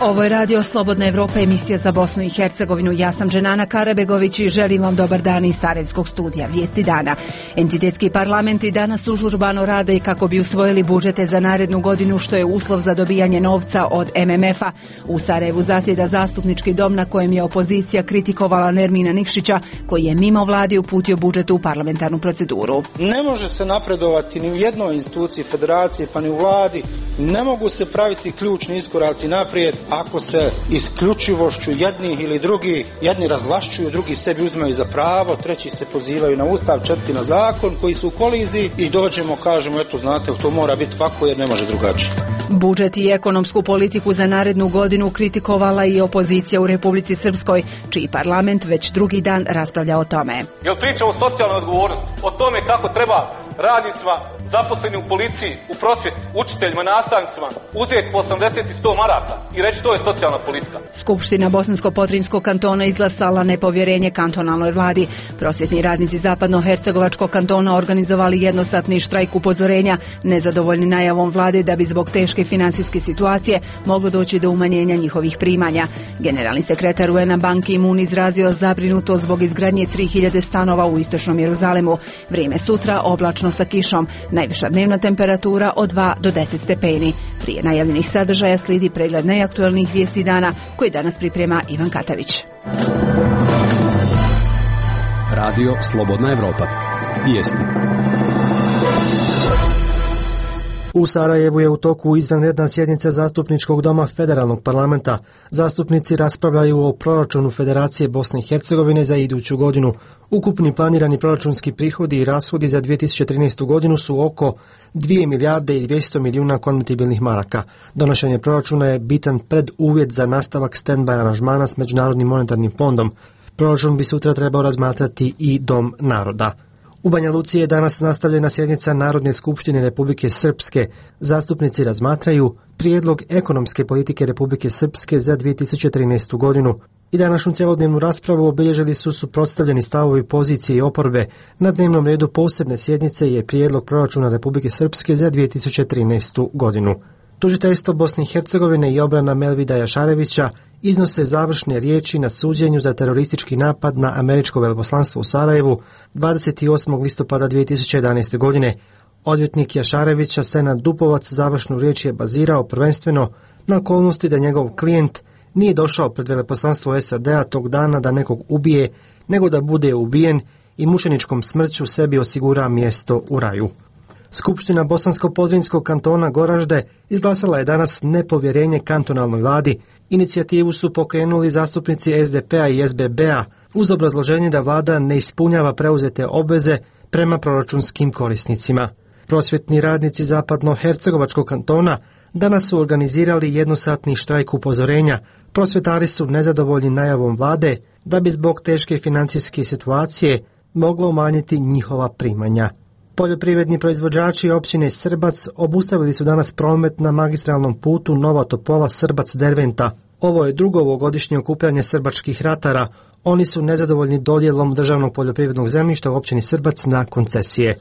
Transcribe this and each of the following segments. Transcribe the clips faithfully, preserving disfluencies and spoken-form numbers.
Ovo je Radio Slobodna Evropa, emisija za Bosnu i Hercegovinu. Ja sam Dženana Karabegović i želim vam dobar dan iz Sarajevskog studija. Vijesti dana. Entitetski parlamenti danas užurbano rade i kako bi usvojili budžete za narednu godinu, što je uslov za dobijanje novca od M M F-a. U Sarajevu zasjeda zastupnički dom na kojem je opozicija kritikovala Nermina Nikšića, koji je mimo vladi uputio budžet u parlamentarnu proceduru. Ne može se napredovati ni u jednoj instituciji federacije, pa ni u vladi. Ne mogu se praviti ključni iskoraci naprijed ako se isključivošću jednih ili drugih, jedni razvlašćuju, drugi sebi uzimaju za pravo, treći se pozivaju na ustav, četvrti na zakon, koji su u koliziji i dođemo, kažemo, eto znate, to mora biti ovako jer ne može drugačije. Budžet i ekonomsku politiku za narednu godinu kritikovala i opozicija u Republici Srpskoj, čiji parlament već drugi dan raspravlja o tome. Jel priča o socijalnoj odgovornosti, o tome kako treba radnicima, zaposlenim u policiji, u prosvjeti, učiteljima, nastavnicima uzeti po osamdeset i sto maraka i reći to je socijalna politika. Skupština Bosansko-Potrinjskog kantona izglasala nepovjerenje kantonalnoj vladi. Prosvjetni radnici Zapadno-Hercegovačkog kantona organizovali jednosatni štrajk upozorenja, nezadovoljni najavom vlade da bi zbog teške finansijske situacije moglo doći do umanjenja njihovih primanja. Generalni sekretar U N-a Ban Ki-moon izrazio zabrinutost zbog izgradnje tri hiljade stanova u istočnom Jeruzalemu. Vrijeme sutra oblačno sa kišom, najviša dnevna temperatura od dva do deset stepeni. Prije najavljenih sadržaja slijedi pregled najaktualnijih vijesti dana koji danas priprema Ivan Katavić. Radio Slobodna Evropa. Vijesti. U Sarajevu je u toku izvanredna sjednica Zastupničkog doma Federalnog parlamenta. Zastupnici raspravljaju o proračunu Federacije Bosne i Hercegovine za iduću godinu. Ukupni planirani proračunski prihodi i rashodi za dvije tisuće trinaestu godinu su oko dvije milijarde i dvjesto milijuna konvertibilnih maraka. Donošenje proračuna je bitan preduvjet za nastavak stand-by aranžmana s Međunarodnim monetarnim fondom. Proračun bi sutra trebao razmatrati i Dom naroda. U Banja Luci je danas nastavljena sjednica Narodne skupštine Republike Srpske. Zastupnici razmatraju prijedlog ekonomske politike Republike Srpske za dvije tisuće trinaestu godinu. I današnju cjelodnevnu raspravu obilježili su suprotstavljeni stavovi pozicije i oporbe. Na dnevnom redu posebne sjednice je prijedlog proračuna Republike Srpske za dvije tisuće trinaestu godinu. Tužiteljstvo Bosne i Hercegovine i obrana Melvida Jašarevića iznose završne riječi na suđenju za teroristički napad na američko veleposlanstvo u Sarajevu dvadeset osmog listopada dvije tisuće jedanaeste. godine. Odvjetnik Jašarevića, Senad Dupovac, završnu riječ je bazirao prvenstveno na okolnosti da njegov klijent nije došao pred veleposlanstvo S A D-a tog dana da nekog ubije, nego da bude ubijen i mučeničkom smrću sebi osigura mjesto u raju. Skupština Bosansko-Podrinjskog kantona Goražde izglasala je danas nepovjerenje kantonalnoj vladi. Inicijativu su pokrenuli zastupnici S D P-a i S B B-a uz obrazloženje da vlada ne ispunjava preuzete obveze prema proračunskim korisnicima. Prosvjetni radnici Zapadno-Hercegovačkog kantona danas su organizirali jednosatni štrajk upozorenja. Prosvjetari su nezadovoljni najavom vlade da bi zbog teške financijske situacije moglo umanjiti njihova primanja. Poljoprivredni proizvođači općine Srbac obustavili su danas promet na magistralnom putu Nova Topola Srbac-Derventa. Ovo je drugo ovogodišnje okupljanje srbačkih ratara. Oni su nezadovoljni dodjelom državnog poljoprivrednog zemljišta u općini Srbac na koncesije.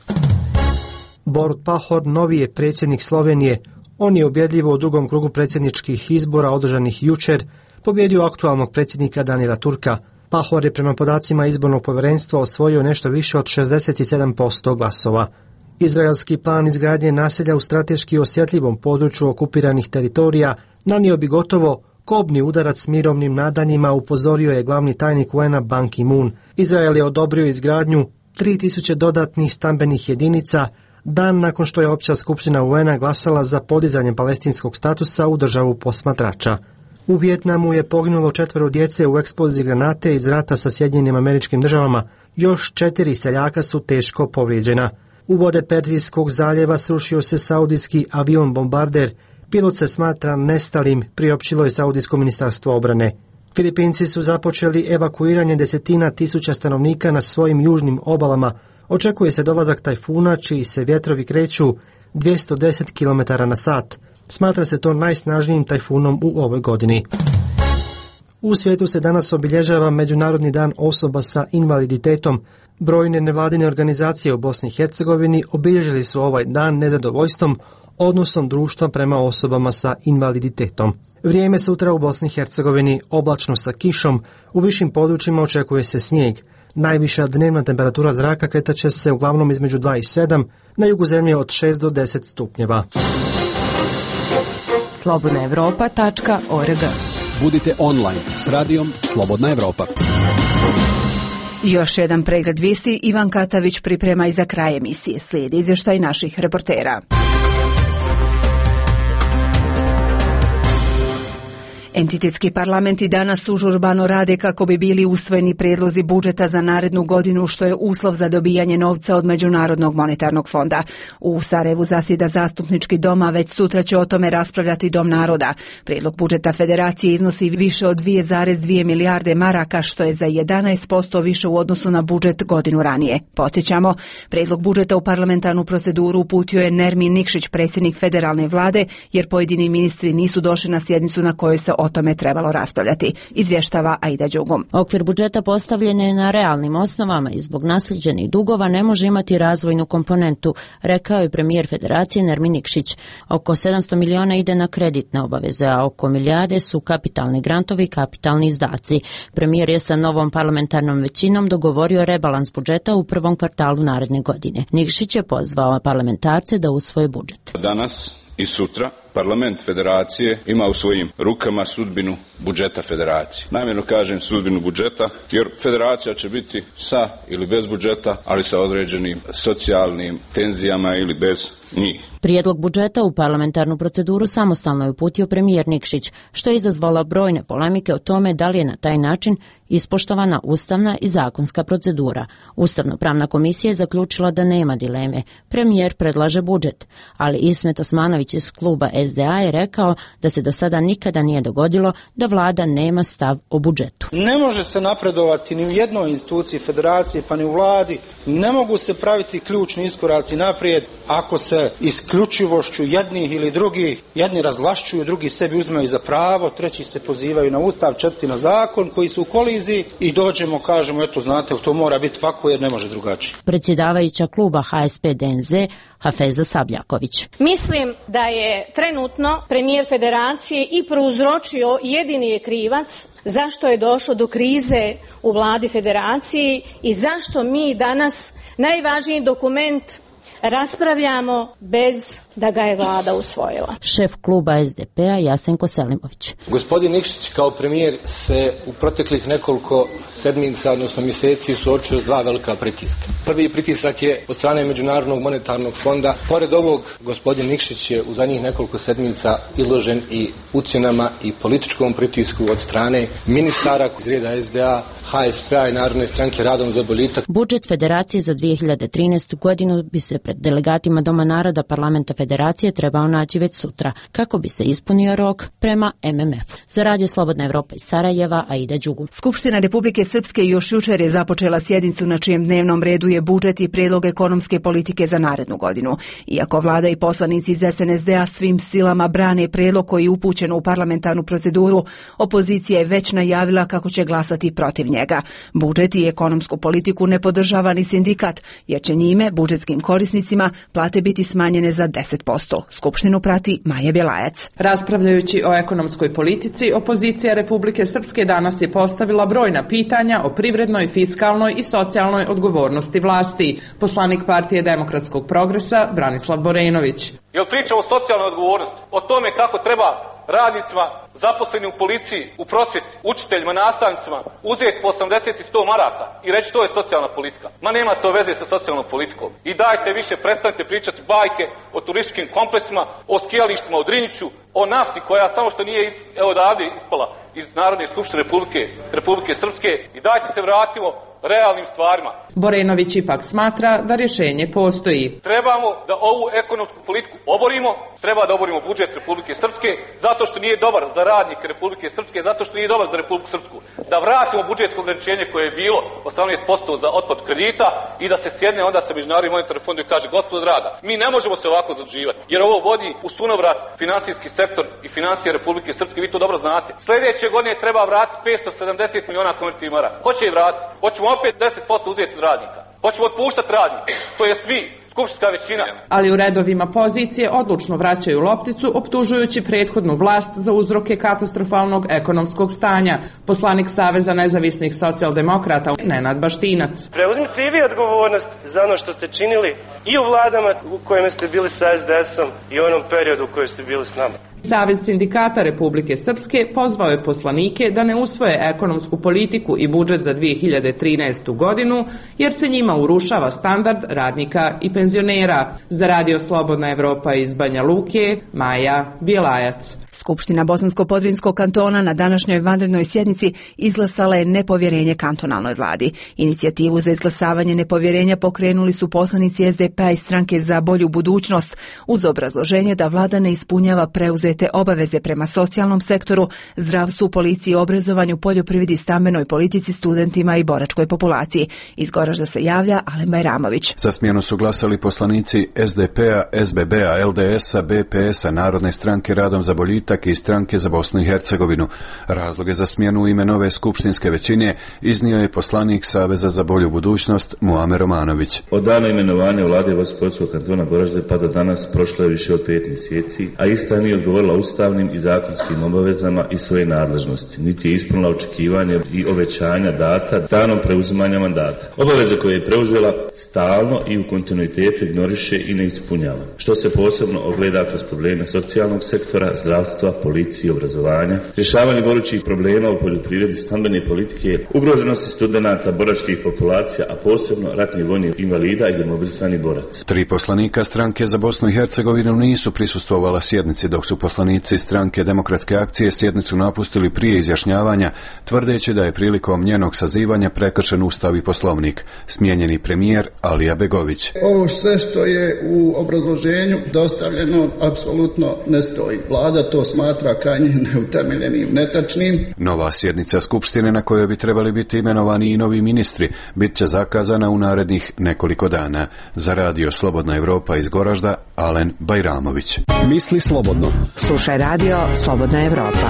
Borut Pahor novi je predsjednik Slovenije. On je ubjedljivo u drugom krugu predsjedničkih izbora održanih jučer pobjedio aktualnog predsjednika Danila Turka. Pahor je prema podacima izbornog povjerenstva osvojio nešto više od šezdeset sedam posto glasova. Izraelski plan izgradnje naselja u strateški osjetljivom području okupiranih teritorija nanio bi gotovo kobni udarac mirovnim nadanjima, upozorio je glavni tajnik U N-a Ban Ki-moon. Izrael je odobrio izgradnju tri tisuće dodatnih stambenih jedinica dan nakon što je Opća skupština U N-a glasala za podizanje palestinskog statusa u državu posmatrača. U Vijetnamu je poginulo četvero djece u eksploziji granate iz rata sa Sjedinjenim Američkim Državama. Još četiri seljaka su teško povrijeđena. U vode Perzijskog zaljeva srušio se saudijski avion bombarder. Pilot se smatra nestalim, priopćilo je Saudijsko ministarstvo obrane. Filipinci su započeli evakuiranje desetina tisuća stanovnika na svojim južnim obalama. Očekuje se dolazak tajfuna čiji se vjetrovi kreću dvjesto deset kilometara na sat. Smatra se to najsnažnijim tajfunom u ovoj godini. U svijetu se danas obilježava Međunarodni dan osoba sa invaliditetom. Brojne nevladine organizacije u Bosni i Hercegovini obilježili su ovaj dan nezadovoljstvom odnosom društva prema osobama sa invaliditetom. Vrijeme sutra u Bosni i Hercegovini oblačno sa kišom, u višim područjima očekuje se snijeg. Najviša dnevna temperatura zraka kretat će se uglavnom između dva i sedam, na jugu zemlje od šest do deset stupnjeva. slobodna evropa tačka org. Budite online s radijom Slobodna Evropa. Još jedan pregled vijesti Ivan Katavić priprema i za kraj emisije. Slijedi izvještaj naših reportera. Entitetski parlamenti danas užurbano rade kako bi bili usvojeni prijedlozi budžeta za narednu godinu, što je uslov za dobijanje novca od Međunarodnog monetarnog fonda. U Sarajevu zasjeda zastupnički dom, a već sutra će o tome raspravljati Dom naroda. Prijedlog budžeta federacije iznosi više od dvije zarez dvije milijarde maraka, što je za jedanaest posto više u odnosu na budžet godinu ranije. Podsjećamo, prijedlog budžeta u parlamentarnu proceduru uputio je Nermin Nikšić, predsjednik federalne vlade, jer pojedini ministri nisu došli na sjednicu na kojoj se o tome trebalo raspravljati, izvještava Aida Đugum. Okvir budžeta postavljen je na realnim osnovama i zbog nasljeđenih dugova ne može imati razvojnu komponentu, rekao je premijer federacije Nermin Nikšić. Oko sedamsto miliona ide na kreditne obaveze, a oko milijarde su kapitalni grantovi i kapitalni izdaci. Premijer je sa novom parlamentarnom većinom dogovorio rebalans budžeta u prvom kvartalu naredne godine. Nikšić je pozvao parlamentarce da usvoje budžet. Danas i sutra parlament federacije ima u svojim rukama sudbinu budžeta federacije. Namjerno kažem sudbinu budžeta, jer federacija će biti sa ili bez budžeta, ali sa određenim socijalnim tenzijama ili bez njih. Prijedlog budžeta u parlamentarnu proceduru samostalno je uputio premijer Nikšić, što je izazvalo brojne polemike o tome da li je na taj način ispoštovana ustavna i zakonska procedura. Ustavno-pravna komisija je zaključila da nema dileme. Premijer predlaže budžet, ali Ismet Osmanović iz kluba S D A je rekao da se do sada nikada nije dogodilo da vlada nema stav o budžetu. Ne može se napredovati ni u jednoj instituciji federacije, pa ni u vladi. Ne mogu se praviti ključni iskoraci naprijed ako se isključivošću jednih ili drugih, jedni razvlašćuju, drugi sebi uzimaju za pravo, treći se pozivaju na ustav, četvrti na zakon, koji su u koliziji i dođemo, kažemo, eto znate, to mora biti ovako jer ne može drugačije. Predsjedavajuća kluba H S P D N Z Hafeza Sabljaković. Mislim da je trenutno premijer federacije i prouzročio, jedini je krivac zašto je došlo do krize u vladi federacije i zašto mi danas najvažniji dokument raspravljamo bez da ga je vlada usvojila. Šef kluba S D P-a Jasenko Selimović. Gospodin Nikšić kao premijer se u proteklih nekoliko sedmica, odnosno mjeseci, suočio s dva velika pritiska. Prvi pritisak je od strane Međunarodnog monetarnog fonda. Pored ovog, gospodin Nikšić je u zadnjih nekoliko sedmica izložen i ucjenama i političkom pritisku od strane ministara iz reda S D A, H S P-a i Narodne stranke Radom za boljitak. Budžet federacije za dvije hiljade trinaestu. godinu bi se pred delegatima Doma naroda parlamenta federacije trebao naći već sutra, kako bi se ispunio rok prema M M F-u. Za Radio Slobodna Evropa iz Sarajeva, Aida Đugu. Skupština Republike Srpske još jučer je započela sjednicu na čijem dnevnom redu je budžet i prijedlog ekonomske politike za narednu godinu. Iako vlada i poslanici iz S N S D-a svim silama brane prijedlog koji je upućen u parlamentarnu proceduru, opozicija je već najavila kako će glasati protiv njega. Budžet i ekonomsku politiku ne podržava ni sindikat, jer će njime, budžetskim korisnicima, plate biti smanjene za deset posto. Skupštinu prati Maja Bjelajac. Raspravljajući o ekonomskoj politici, opozicija Republike Srpske danas je postavila brojna pitanja o privrednoj, fiskalnoj i socijalnoj odgovornosti vlasti. Poslanik Partije demokratskog progresa Branislav Borenović. Jel pričamo o socijalnoj odgovornosti, o tome kako treba radnicima zaposleni u policiji, u prosvjeti, učiteljima, nastavnicima uzeti po osamdeset i sto maraka i reći to je socijalna politika. Ma nema to veze sa socijalnom politikom. I dajte više, prestanite pričati bajke o turističkim kompleksima, o skijalištima u Drinjiću, o nafti koja samo što nije evo odavde ispala iz Narodne skupštine Republike, Republike Srpske i dajte se vratimo realnim stvarima. Borenović ipak smatra da rješenje postoji. Trebamo da ovu ekonomsku politiku oborimo, treba da oborimo budžet Republike Srpske, zato što nije dobar za radnike Republike Srpske, zato što nije dobar za Republiku Srpsku. Da vratimo budžetsko ograničenje koje je bilo osamnaest posto za otplatu kredita i da se sjedne onda sa Međunarodnim monetarnim fondom i kaže gospodo draga, mi ne možemo se ovako zaduživati, jer ovo vodi u sunovrat finansijski sektor i financije Republike Srpske, vi to dobro znate. Sljedeće godine treba vratiti petsto sedamdeset miliona konvertibilnih maraka. Ko će ih vratiti? Hoćemo opet deset posto uzeti od radnika. Hoćemo otpuštati radnike, to jest vi. skupštinska većina. Ali u redovima pozicije odlučno vraćaju lopticu, optužujući prethodnu vlast za uzroke katastrofalnog ekonomskog stanja. Poslanik Saveza nezavisnih socijaldemokrata Nenad Baštinac. Preuzmite i vi odgovornost za ono što ste činili i u vladama u kojima ste bili sa es de esom i u onom periodu u kojoj ste bili s nama. Savez sindikata Republike Srpske pozvao je poslanike da ne usvoje ekonomsku politiku i budžet za dvije hiljade trinaestu godinu, jer se njima urušava standard radnika i penzionera. Za Radio Slobodna Evropa iz Banja Luke, Maja Bjelajac. Skupština Bosansko-Podrinjskog kantona na današnjoj vanrednoj sjednici izglasala je nepovjerenje kantonalnoj vladi. Inicijativu za izglasavanje nepovjerenja pokrenuli su poslanici es de pe i Stranke za bolju budućnost uz obrazloženje da vlada ne ispunjava preuzete obaveze prema socijalnom sektoru, zdravstvu, policiji, obrazovanju, poljoprivredi, stambenoj politici, studentima i boračkoj populaciji. Iz Goražda se javlja Alen Bajramović. Za smjenu su glasali poslanici es de pe-a, es be be-a, el de es-a, be pe es-a, Narodne stranke Radom za boljitak i Stranke za Bosnu i Hercegovinu. Razloge za smjenu u ime nove skupštinske većine iznio je poslanik Saveza za bolju budućnost Muamer Romanović. Od dana imenovanja vlade Bosanskog kantona Goražde pa do danas prošlo je više od pet mjeseci, a ista nije odgovorila ustavnim i zakonskim obavezama i svoje nadležnosti, niti je ispunila očekivanje i obećanja data danom preuzimanja mandata. Obaveze koje je preuzela stalno i u kontinuitetu ignoriše i ne ispunjava, što se posebno ogleda kroz probleme socijalnog sektora, zdravstva, policije, obrazovanja, rješavanje gorućih problema u poljoprivredi, stambene politike, ugroženosti studenata, boračkih populacija, a posebno ratnih vojnih invalida i demobilisanih boraca. Tri poslanika Stranke za Bosnu i Hercegovinu nisu prisustvovala sjednici, dok su poslanici Stranke demokratske akcije sjednicu napustili prije izjašnjavanja, tvrdeći da je prilikom njenog sazivanja prekršen Ustav i Poslovnik. Smijenjeni premijer Alija Begović. Ovo sve što je u obrazloženju dostavljeno apsolutno ne stoji. Vlada to smatra krajnje neutemeljenim, netačnim. Nova sjednica Skupštine na kojoj bi trebali biti imenovani i novi ministri bit će zakazana u narednih nekoliko dana. Za Radio Slobodna Evropa iz Goražda, Alen Bajramović. Misli slobodno. Slušaj Radio Slobodna Evropa.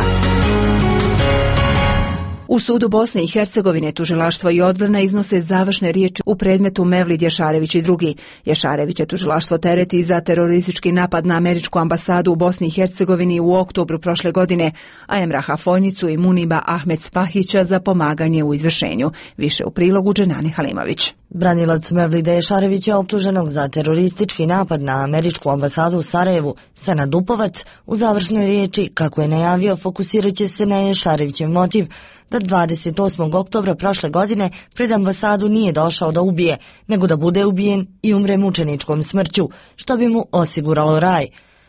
U sudu Bosne i Hercegovine tužilaštvo i odbrana iznose završne riječi u predmetu Mevlid Jašarević i drugi. Jašarević je tužilaštvo tereti za teroristički napad na američku ambasadu u Bosni i Hercegovini u oktobru prošle godine, a Emraha Fojnicu i Muniba Ahmed Spahića za pomaganje u izvršenju. Više u prilogu Dženani Halimović. Branilac Mevlida Jašarevića optuženog za teroristički napad na američku ambasadu u Sarajevu, Senad Dupovac, u završnoj riječi, kako je najavio, fokusirat će se na Jašarevićev motiv da dvadeset osmog oktobra prošle godine pred ambasadu nije došao da ubije, nego da bude ubijen i umre mučeničkom smrću, što bi mu osiguralo raj.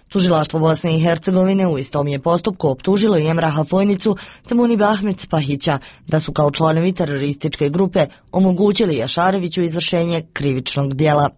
Tužilaštvo Bosne i Hercegovine u istom je postupku optužilo i Emraha Fojnicu te Muniba Ahmed Spahića da su kao članovi terorističke grupe omogućili Jašareviću izvršenje krivičnog djela.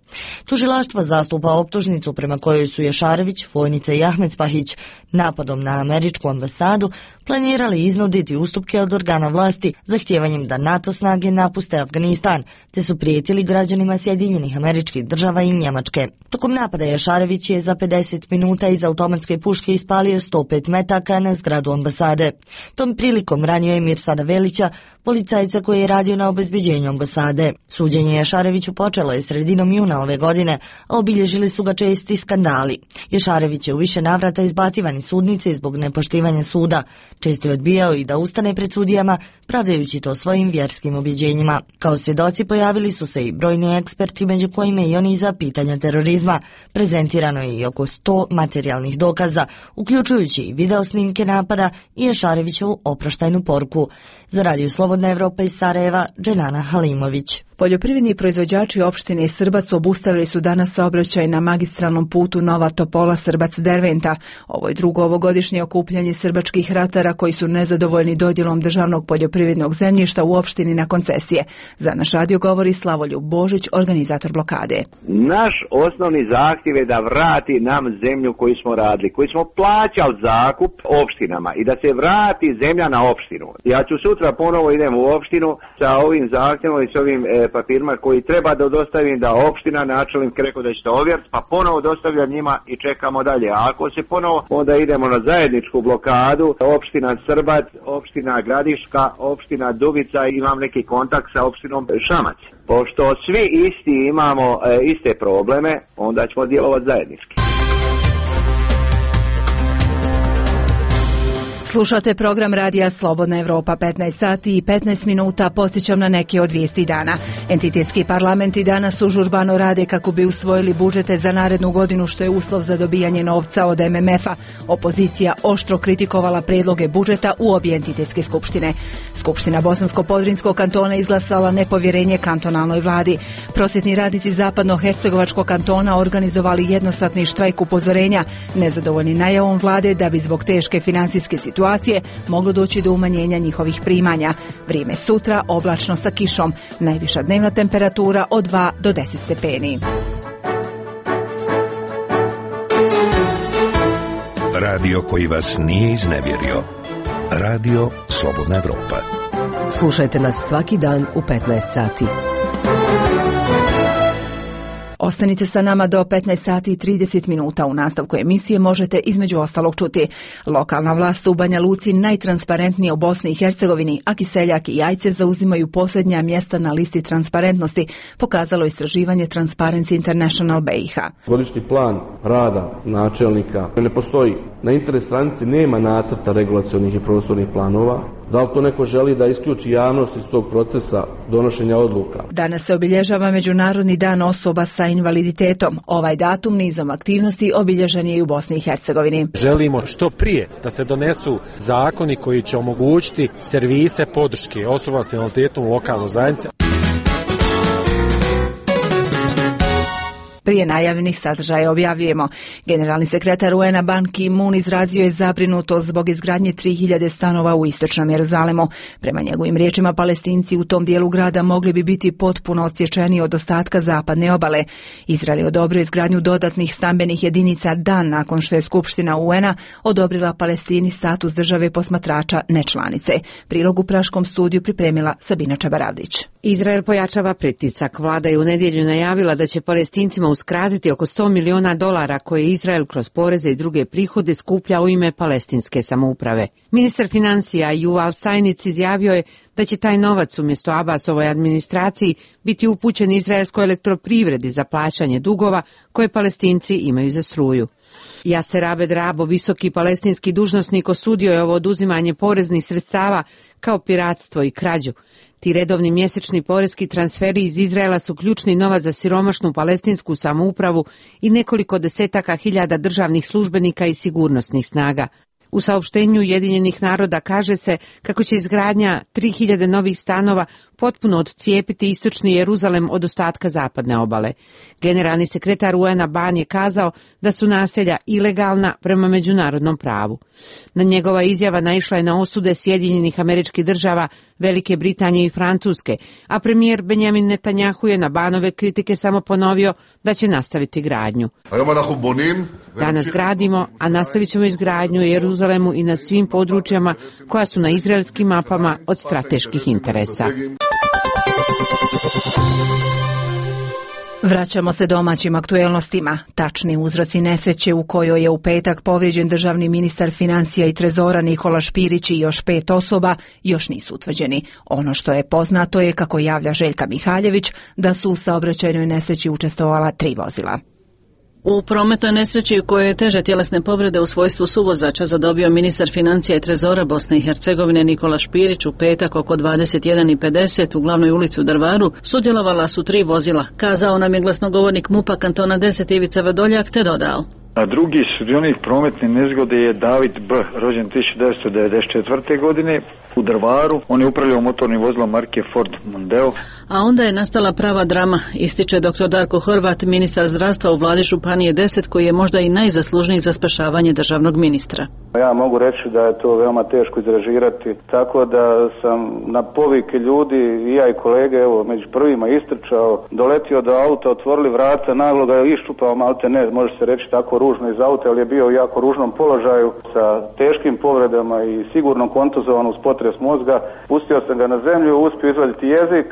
Tužilaštvo zastupa optužnicu prema kojoj su Jašarević, Fojnica i Ahmed Spahić napadom na američku ambasadu planirali iznuditi ustupke od organa vlasti zahtijevanjem da NATO snage napuste Afganistan, te su prijetili građanima Sjedinjenih Američkih Država i Njemačke. Tokom napada Jašarević je za pedeset minuta iz automatske puške ispalio sto pet metaka na zgradu ambasade. Tom prilikom ranio je Mirsada Velića, policajca koji je radio na obezbeđenju ambasade. Suđenje Jašareviću počelo je sredinom juna ove godine, a obilježili su ga česti skandali. Jašarević je u više navrata izbacivan iz sudnice zbog nepoštivanja suda. Često je odbijao i da ustane pred sudijama, pravdajući to svojim vjerskim objeđenjima. Kao svjedoci pojavili su se i brojni eksperti, među kojima i oni za pitanja terorizma. Prezentirano je i oko sto materijalnih dokaza, uključujući i video snimke napada i Jašarevićevu oproštajnu poruku. Za Radio Slobodna Evropa iz Sarajeva, Dženana Halimović. Poljoprivredni proizvođači opštine Srbac obustavili su danas saobraćaj na magistralnom putu Nova Topola Srbac-Derventa. Ovo je drugo ovogodišnje okupljanje srbačkih ratara koji su nezadovoljni dodjelom državnog poljoprivrednog zemljišta u opštini na koncesije. Za naš radio govori Slavoljub Božić, organizator blokade. Naš osnovni zahtjev je da vrati nam zemlju koju smo radili, koju smo plaćali zakup opštinama i da se vrati zemlja na opštinu. Ja ću sutra ponovo idem u opštinu sa ovim zahtjevom i s ovim e, papirima koji treba da dostavim, da opština, načelnik rekao da će to ovjeriti, pa ponovo dostavljam njima i čekamo dalje. A ako se ponovo, onda idemo na zajedničku blokadu, opština Srbat, opština Gradiška, opština Dubica, imam neki kontakt sa opštinom Šamac. Pošto svi isti imamo e, iste probleme, onda ćemo djelovati zajednički. Slušate program radija Slobodna Evropa, petnaest sati i petnaest minuta, podsjećam na neke od vijesti dana. Entitetski parlamenti danas užurbano rade kako bi usvojili budžete za narednu godinu, što je uslov za dobijanje novca od M M F-a. Opozicija oštro kritikovala predloge budžeta u obje entitetske skupštine. Skupština Bosansko-Podrinjskog kantona izglasala nepovjerenje kantonalnoj vladi. Prosvjetni radnici Zapadno-Hercegovačkog kantona organizovali jednosatni štrajk upozorenja, nezadovoljni najavom vlade da bi zbog teške financijske situacije moglo doći do umanjenja njihovih primanja. Vrijeme sutra oblačno sa kišom, najviša dnevna temperatura od dva do deset stepeni. Radio koji vas nije iznevjerio. Radio Slobodna Evropa. Slušajte nas svaki dan u petnaest sati. Ostanite sa nama do petnaest sati i trideset minuta. U nastavku emisije možete između ostalog čuti: lokalna vlast u Banja Luci najtransparentnija u Bosni i Hercegovini, a Kiseljak i Jajce zauzimaju posljednja mjesta na listi transparentnosti, pokazalo istraživanje Transparency International B i H. Godišnji plan rada načelnika ne postoji. Na internet stranici nema nacrta regulacionih i prostornih planova. Da li to neko želi da isključi javnost iz tog procesa donošenja odluka? Danas se obilježava Međunarodni dan osoba sa invaliditetom. Ovaj datum nizom aktivnosti obilježen je i u Bosni i Hercegovini. Želimo što prije da se donesu zakoni koji će omogućiti servise podrške osoba sa invaliditetom u lokalnoj zajednici. Prije najavljenih sadržaja objavljujemo. Generalni sekretar U N-a Ban Ki-moon izrazio je zabrinutost zbog izgradnje tri hiljade stanova u istočnom Jeruzalemu. Prema njegovim riječima, Palestinci u tom dijelu grada mogli bi biti potpuno odsječeni od ostatka zapadne obale. Izrael je odobrio izgradnju dodatnih stambenih jedinica dan nakon što je Skupština U N-a odobrila Palestini status države posmatrača nečlanice. Prilog u Praškom studiju pripremila Sabina Čabaravdić. Izrael pojačava pritisak. Vlada je u nedjelju najavila da će Palestincima uskratiti oko sto miliona dolara koje Izrael kroz poreze i druge prihode skuplja u ime palestinske samouprave. Ministar financija Yuval Stajnic izjavio je da će taj novac umjesto Abbasovoj administraciji biti upućen izraelskoj elektroprivredi za plaćanje dugova koje Palestinci imaju za struju. Jaser Abed Rabo, visoki palestinski dužnosnik, osudio je ovo oduzimanje poreznih sredstava kao piratstvo i krađu. Ti redovni mjesečni porezki transferi iz Izraela su ključni novac za siromašnu palestinsku samoupravu i nekoliko desetaka hiljada državnih službenika i sigurnosnih snaga. U saopštenju Ujedinjenih naroda kaže se kako će izgradnja tri hiljade novih stanova potpuno odcijepiti istočni Jeruzalem od ostatka zapadne obale. Generalni sekretar U N-a Ban je kazao da su naselja ilegalna prema međunarodnom pravu. Na njegova izjava naišla je na osude Sjedinjenih Američkih Država, Velike Britanije i Francuske, a premijer Benjamin Netanjahu je na Banove kritike samo ponovio da će nastaviti gradnju. Danas gradimo, a nastavit ćemo izgradnju u Jeruzalemu i na svim područjama koja su na izraelskim mapama od strateških interesa. Vraćamo se domaćim aktuelnostima. Tačni uzroci nesreće u kojoj je u petak povrijeđen državni ministar financija i trezora Nikola Špirić i još pet osoba još nisu utvrđeni. Ono što je poznato je, kako javlja Željka Mihaljević, da su u saobraćajnoj nesreći učestvovala tri vozila. U prometnoj nesreći u kojoj je teže tjelesne povrede u svojstvu suvozača zadobio ministar financija i trezora Bosne i Hercegovine Nikola Špirić u petak oko dvadeset jedan i pedeset u glavnoj ulici u Drvaru sudjelovala su tri vozila, kazao nam je glasnogovornik MUP-a kantona deset Ivica Vedoljak, te dodao. A drugi sudionik prometne nezgode je David B, rođen tisuću devetsto devedeset četvrte. godine u Drvaru. On je upravljao motornim vozilom marke Ford Mondeo. A onda je nastala prava drama, ističe doktor Darko Horvat, ministar zdravstva u vladi Županije deset, koji je možda i najzaslužniji za spašavanje državnog ministra. Ja mogu reći da je to veoma teško izrežirati, tako da sam na povike ljudi, i ja i kolege, evo, među prvima istrčao, doletio do auta, otvorili vrata, naglo ga je iščupao, malte ne, može se reći tako ružno iz auta, ali je bio u jako ružnom položaju sa teškim povredama i sigurno kontuzovan uz potres mozga. Pustio sam ga na zemlju, uspio izvaditi jezik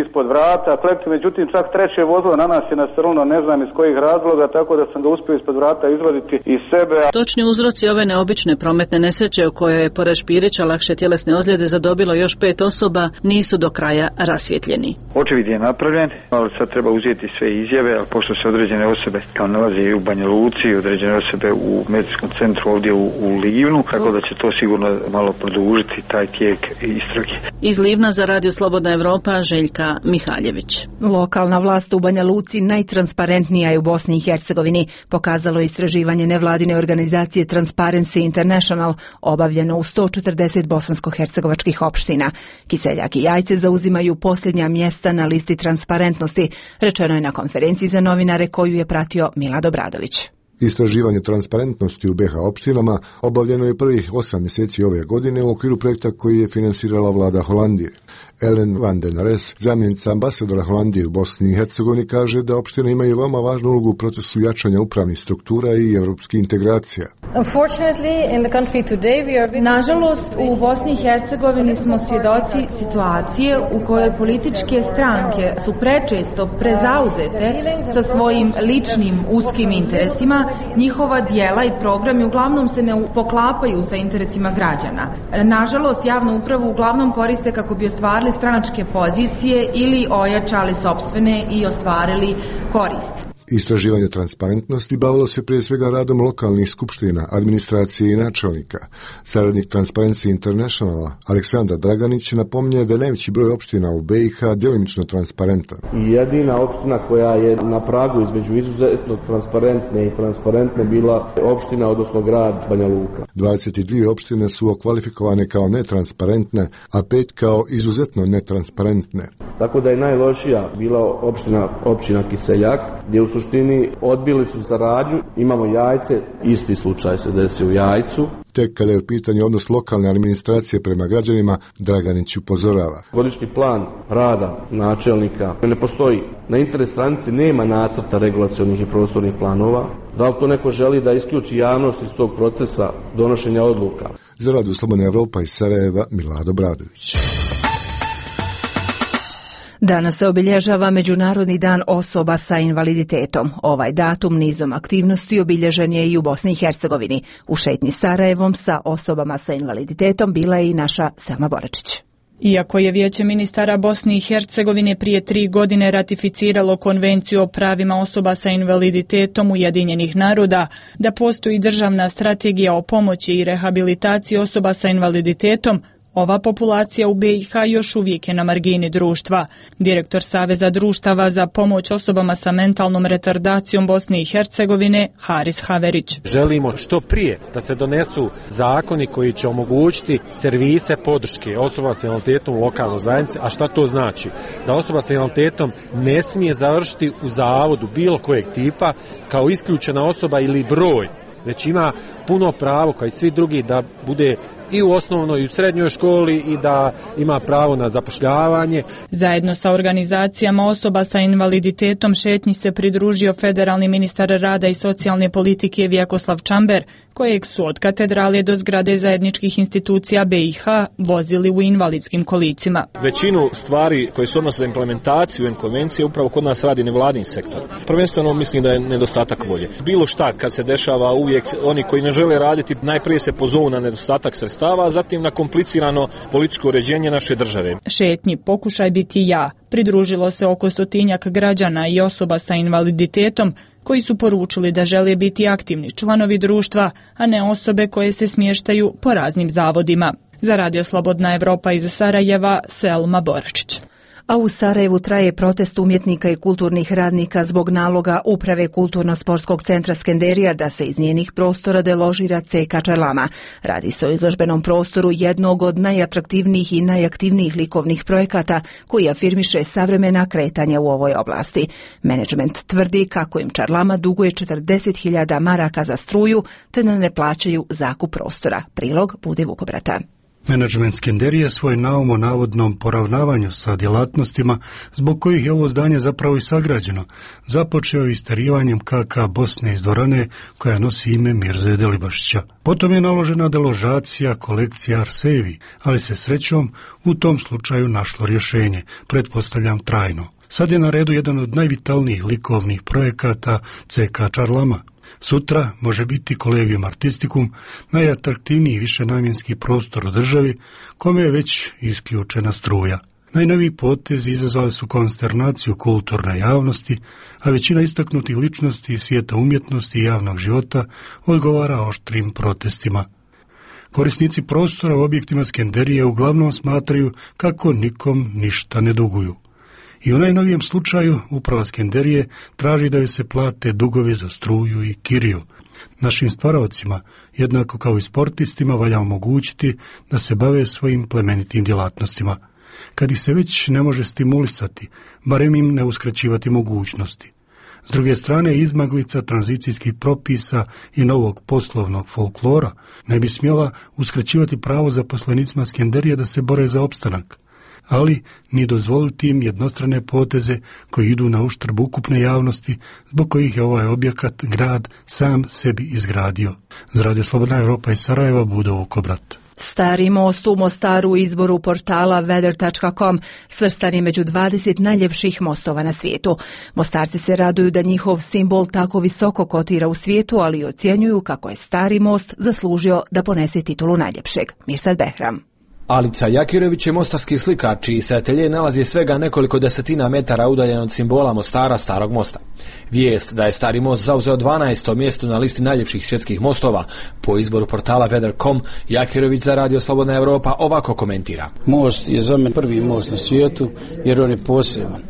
ispod vrata, klekli, međutim čak treće vozilo na nas je nasrnulo, ne znam iz kojih razloga, tako da sam ga uspio ispod vrata izvaditi iz sebe. Točni uzroci ove neobične prometne nesreće u kojoj je pored Špirića lakše tjelesne ozljede zadobilo još pet osoba nisu do kraja rasvjetljeni. Očevid je napravljen, ali sad treba uzeti sve izjave, a pošto se određene osobe kao nalazi u Banja Luci, određene osobe u medicinskom centru ovdje u, u Livnu, tako da će to sigurno malo produžiti taj tijek istrage. Iz Livna za Radio Slobodna Evropa, Željka Mihaljević. Lokalna vlast u Banja Luci najtransparentnija je u Bosni i Hercegovini, pokazalo je istraživanje nevladine organizacije Transparency International, obavljeno u sto četrdeset bosansko-hercegovačkih opština. Kiseljak i Jajce zauzimaju posljednja mjesta na listi transparentnosti, rečeno je na konferenciji za novinare koju je pratio Milad Obradović. Istraživanje transparentnosti u B iH opštinama obavljeno je prvih osam mjeseci ove godine u okviru projekta koji je finansirala vlada Holandije. Ellen van den Res, zamjenica ambasadora Holandije u Bosni i Hercegovini, kaže da opštine imaju veoma važnu ulogu u procesu jačanja upravnih struktura i evropskih integracija. Nažalost, u Bosni i Hercegovini smo svjedoci situacije u kojoj političke stranke su prečesto prezauzete sa svojim ličnim uskim interesima, njihova dijela i programi uglavnom se ne poklapaju sa interesima građana. Nažalost, javnu upravu uglavnom koriste kako bi ostvarili stranačke pozicije ili ojačali sopstvene i ostvarili korist. Istraživanje transparentnosti bavilo se prije svega radom lokalnih skupština, administracije i načelnika. Saradnik Transparency Internationala Aleksandar Draganić napominje da je najveći broj opština u B iH djelimično transparentan. Jedina opština koja je na pragu između izuzetno transparentne i transparentne bila opština, odnosno grad Banja Luka. dvadeset dvije opštine su okvalifikovane kao netransparentne, a pet kao izuzetno netransparentne. Tako da je najlošija bila opština, općina Kiseljak, gdje u suštini odbili su saradnju. Imamo Jajce, isti slučaj se desio u Jajcu. Tek kada je u pitanju odnos lokalne administracije prema građanima, Draganić upozorava. Godišnji plan rada načelnika ne postoji. Na internet stranici nema nacrta regulacionih i prostornih planova. Da li to neko želi da isključi javnost iz tog procesa donošenja odluka? Za Radio Slobodna Evropa iz Sarajeva, Milad Obradović. Danas se obilježava Međunarodni dan osoba sa invaliditetom. Ovaj datum nizom aktivnosti obilježen je i u Bosni i Hercegovini. U šetnji Sarajevom sa osobama sa invaliditetom bila je i naša Selma Boračić. Iako je Vijeće ministara Bosne i Hercegovine prije tri godine ratificiralo Konvenciju o pravima osoba sa invaliditetom Ujedinjenih naroda, da postoji državna strategija o pomoći i rehabilitaciji osoba sa invaliditetom, ova populacija u B iH još uvijek je na margini društva. Direktor Saveza društava za pomoć osobama sa mentalnom retardacijom Bosne i Hercegovine, Haris Haverić. Želimo što prije da se donesu zakoni koji će omogućiti servise podrške osoba sa invaliditetom u lokalnoj zajednici. A šta to znači? Da osoba sa invaliditetom ne smije završiti u zavodu bilo kojeg tipa kao isključena osoba ili broj, već ima puno pravo kao i svi drugi da bude i u osnovnoj i u srednjoj školi i da ima pravo na zapošljavanje. Zajedno sa organizacijama osoba sa invaliditetom šetnji se pridružio federalni ministar rada i socijalne politike Vjekoslav Čamber, kojeg su od katedrale do zgrade zajedničkih institucija B iH vozili u invalidskim kolicima. Većinu stvari koje se odnose za implementaciju konvencije upravo kod nas radi nevladin sektor. Prvenstveno mislim da je nedostatak volje. Bilo šta kad se dešava, uvijek oni koji ne žele raditi najprije se pozovu na nedostatak sredstava, a zatim na komplicirano političko uređenje naše države. Šetnji Pokušaj biti ja pridružilo se oko stotinjak građana i osoba sa invaliditetom koji su poručili da žele biti aktivni članovi društva, a ne osobe koje se smještaju po raznim zavodima. Za Radio Slobodna Evropa iz Sarajeva, Selma Boračić. A u Sarajevu traje protest umjetnika i kulturnih radnika zbog naloga Uprave Kulturno-sportskog centra Skenderija da se iz njenih prostora deložira C K Čarlama. Radi se o izložbenom prostoru jednog od najatraktivnijih i najaktivnijih likovnih projekata koji afirmiše savremena kretanja u ovoj oblasti. Menadžment tvrdi kako im Čarlama duguje četrdeset hiljada maraka za struju te da ne plaćaju zakup prostora. Prilog Bude Vukobrata. Menadžment Skenderije svoj naum o navodnom poravnavanju sa djelatnostima, zbog kojih je ovo zdanje zapravo i sagrađeno, započeo isterivanjem K K Bosne iz dvorane koja nosi ime Mirze Delibašića. Potom je naložena deložacija kolekcija Arsevi, ali se srećom u tom slučaju našlo rješenje, pretpostavljam trajno. Sad je na redu jedan od najvitalnijih likovnih projekata C K Čarlama. Sutra može biti Collegium Artisticum, najatraktivniji višenamjenski prostor u državi, kome je već isključena struja. Najnoviji potezi izazvali su konsternaciju kulturne javnosti, a većina istaknutih ličnosti iz svijeta umjetnosti i javnog života odgovara oštrim protestima. Korisnici prostora u objektima Skenderije uglavnom smatraju kako nikom ništa ne duguju. I u najnovijem slučaju uprava Skenderije traži da joj se plate dugovi za struju i kiriju. Našim stvaraocima, jednako kao i sportistima, valja omogućiti da se bave svojim plemenitim djelatnostima. Kad ih se već ne može stimulisati, barem im ne uskraćivati mogućnosti. S druge strane, izmaglica tranzicijskih propisa i novog poslovnog folklora ne bi smjela uskraćivati pravo zaposlenicima Skenderije da se bore za opstanak, ali ni dozvoliti im jednostrane poteze koji idu na uštrb ukupne javnosti, zbog kojih je ovaj objekat grad sam sebi izgradio. Za Radio Slobodna Evropa iz Sarajeva, Budo Vukobrat. Stari most u Mostaru u izboru portala weather tačka com svrstan je među dvadeset najljepših mostova na svijetu. Mostarci se raduju da njihov simbol tako visoko kotira u svijetu, ali i ocjenjuju kako je stari most zaslužio da ponese titulu najljepšeg. Mirsad Behram. Alica Jakirović je mostarski slikar, čiji se atelje nalazi svega nekoliko desetina metara udaljen od simbola Mostara, Starog mosta. Vijest da je Stari most zauzeo dvanaesto mjesto na listi najljepših svjetskih mostova po izboru portala weather tačka com, Jakirović za Radio Slobodna Evropa ovako komentira. Most je za mene prvi most na svijetu jer on je poseban.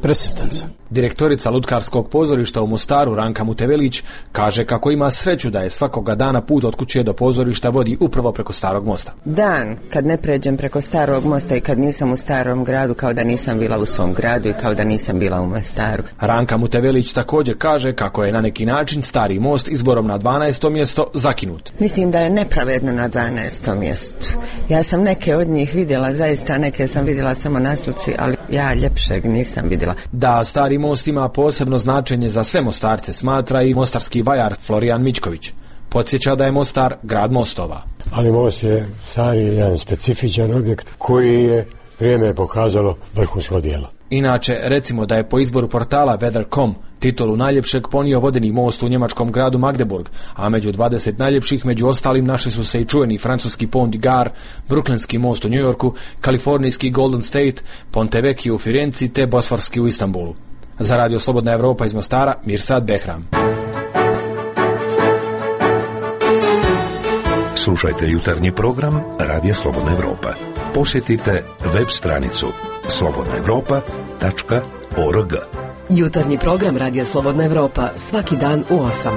Presretan sam. Direktorica Lutkarskog pozorišta u Mostaru, Ranka Mutevelić, kaže kako ima sreću da je svakoga dana put od kuće do pozorišta vodi upravo preko Starog mosta. Dan kad ne pređem preko Starog mosta i kad nisam u Starom gradu, kao da nisam bila u svom gradu i kao da nisam bila u Mostaru. Ranka Mutevelić također kaže kako je na neki način Stari most izborom na dvanaesto mjesto zakinut. Mislim da je nepravedno na dvanaestom mjestu. Ja sam neke od njih vidjela, zaista neke sam vidjela samo na slici, ali ja ljepšeg nisam vidjela. Da Stari most ima posebno značenje za sve Mostarce, smatra i mostarski vajar Florijan Mičković. Podsjeća da je Mostar grad mostova. Ali most je stari, jedan specifičan objekt koji je vrijeme pokazalo vrhunsko djelo. Inače, recimo da je po izboru portala weather tačka com titulu najljepšeg ponio vodeni most u njemačkom gradu Magdeburg, a među dvadeset najljepših među ostalim našli su se i čuveni francuski Pont du Gard, Brooklynski most u New Yorku, kalifornijski Golden State, Ponte Vecchio u Firenci te Bosforski u Istanbulu. Za Radio Slobodna Evropa iz Mostara, Mirsad Behram. Slušajte jutarnji program Radio Slobodna Evropa. Posjetite web stranicu slobodna evropa tačka org. Jutarnji program Radija Slobodna Evropa svaki dan u osam.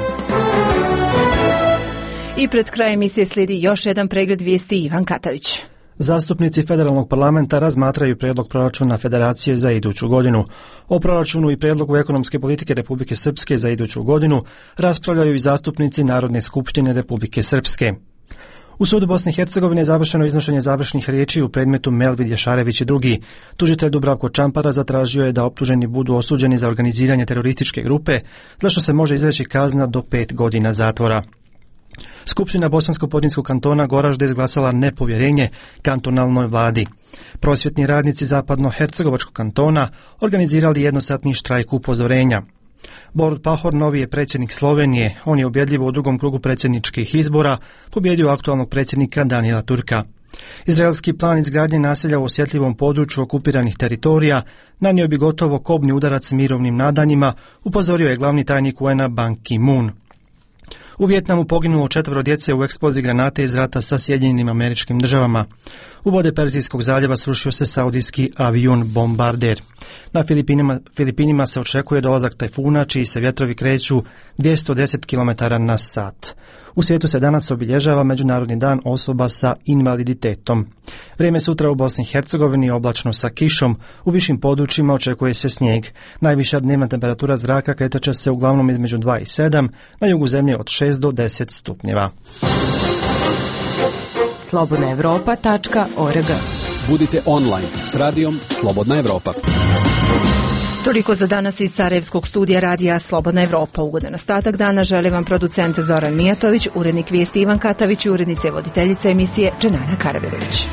I pred krajem emisije slijedi još jedan pregled vijesti. Ivan Katavić. Zastupnici federalnog parlamenta razmatraju prijedlog proračuna Federacije za iduću godinu. O proračunu i prijedlogu ekonomske politike Republike Srpske za iduću godinu raspravljaju i zastupnici Narodne skupštine Republike Srpske. U sudu Bosne i Hercegovine je završeno iznošenje završnih riječi u predmetu Melvid Jašarević i drugi. Tužitelj Dubravko Čampara zatražio je da optuženi budu osuđeni za organiziranje terorističke grupe, za što se može izreći kazna do pet godina zatvora. Skupština Bosansko-Podrinjskog kantona Goražde izglasala nepovjerenje kantonalnoj vladi. Prosvjetni radnici Zapadno-Hercegovačkog kantona organizirali jednosatni štrajk upozorenja. Borut Pahor novi je predsjednik Slovenije. On je ubjedljivo u drugom krugu predsjedničkih izbora pobjedio aktualnog predsjednika Danijela Turka. Izraelski plan izgradnje naselja u osjetljivom području okupiranih teritorija nanio bi gotovo kobni udarac mirovnim nadanjima, upozorio je glavni tajnik U N-a Ban Ki-moon. U Vijetnamu poginulo četvero djece u eksploziji granate iz rata sa Sjedinjenim Američkim Državama. U vode Perzijskog zaljeva srušio se saudijski avion bombarder. Na Filipinima, Filipinima se očekuje dolazak tajfuna, čiji se vjetrovi kreću dvjesto deset kilometara na sat. U svijetu se danas obilježava Međunarodni dan osoba sa invaliditetom. Vrijeme sutra u Bosni i Hercegovini oblačno sa kišom, u višim područjima očekuje se snijeg. Najviša dnevna temperatura zraka kretat će se uglavnom između dva i sedam, na jugu zemlje od šest do deset stupnjeva. slobodna evropa tačka org. Budite online s radijom Slobodna Evropa. Toliko za danas iz Sarajevskog studija radija Slobodna Evropa. Ugodan ostatak dana želi vam producent Zoran Mijatović, urednik vijesti Ivan Katavić i urednice voditeljica emisije Dženana Karavirović.